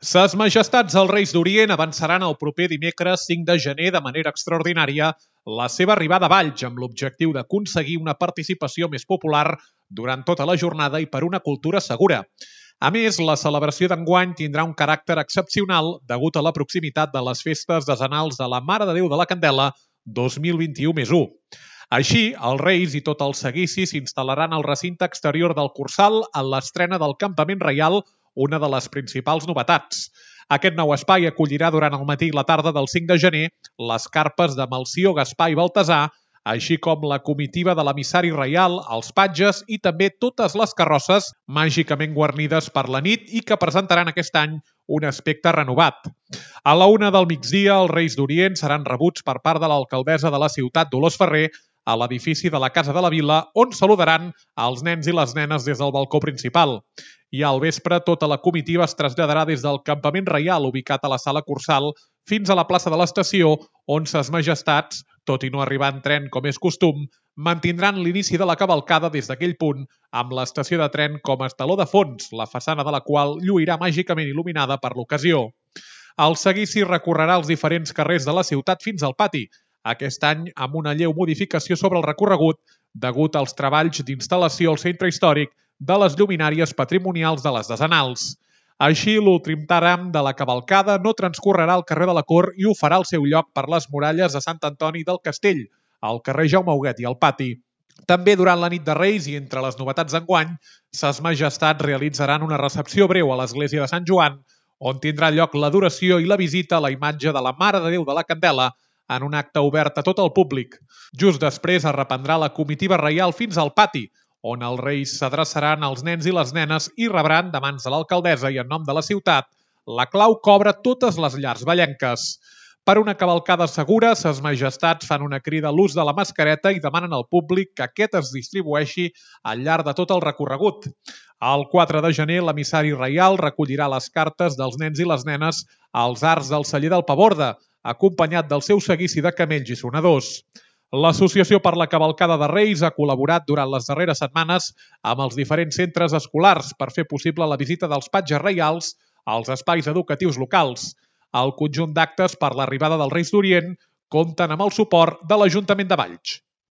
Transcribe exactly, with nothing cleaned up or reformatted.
Ses Majestats els Reis d'Orient avançaran el proper dimecres cinc de gener de manera extraordinària la seva arribada a Valls amb l'objectiu d'aconseguir una participació més popular durant tota la jornada i per una cultura segura. A més, la celebració d'enguany tindrà un caràcter excepcional degut a la proximitat de les festes decenals de la Mare de Déu de la Candela dos mil vint-i-u més u. Així, els Reis i tot el seguici s'instal·laran al recinte exterior del Cursal en l'estrena del Campament Reial, una de les principals novetats. Aquest nou espai acollirà durant el matí i la tarda del cinc de gener les carpes de Melcior, Gaspar i Baltasar, així com la comitiva de l'emissari reial, els patges i també totes les carrosses màgicament guarnides per la nit i que presentaran aquest any un aspecte renovat. A la una del migdia, els Reis d'Orient seran rebuts per part de l'alcaldessa de la ciutat, Dolors Ferrer, a l'edifici de la Casa de la Vila, on saludaran els nens i les nenes des del balcó principal. I al vespre, tota la comitiva es traslladarà des del Campament Reial, ubicat a la Sala Cursal, fins a la plaça de l'Estació, on ses Majestats, tot i no arribar en tren com és costum, mantindran l'inici de la cavalcada des d'aquell punt, amb l'estació de tren com a estaló de fons, la façana de la qual lluirà màgicament il·luminada per l'ocasió. El seguici recorrerà els diferents carrers de la ciutat fins al pati, aquest any amb una lleu modificació sobre el recorregut degut als treballs d'instal·lació al centre històric de les lluminàries patrimonials de les decenals. Així, l'últim tram de la cavalcada no transcorrerà al carrer de la Cort i ho farà al seu lloc per les muralles de Sant Antoni del Castell, al carrer Jaume Huguet i al pati. També durant la nit de Reis i entre les novetats d'enguany, ses Majestats realitzaran una recepció breu a l'església de Sant Joan, on tindrà lloc l'adoració i la visita a la imatge de la Mare de Déu de la Candela en un acte obert a tot el públic. Just després es reprendrà la comitiva reial fins al pati, on els Reis s'adreçaran als nens i les nenes i rebran, de mans de l'alcaldessa i en nom de la ciutat, la clau que obre totes les llars vallenques. Per una cavalcada segura, ses Majestats fan una crida a l'ús de la mascareta i demanen al públic que aquest es distribueixi al llarg de tot el recorregut. El quatre de gener, l'emissari reial recollirà les cartes dels nens i les nenes als arcs del celler del Paborda, acompanyat del seu seguici de camells i sonadors. L'Associació per la Cavalcada de Reis ha col·laborat durant les darreres setmanes amb els diferents centres escolars per fer possible la visita dels patges reials als espais educatius locals. El conjunt d'actes per l'arribada dels Reis d'Orient compten amb el suport de l'Ajuntament de Valls.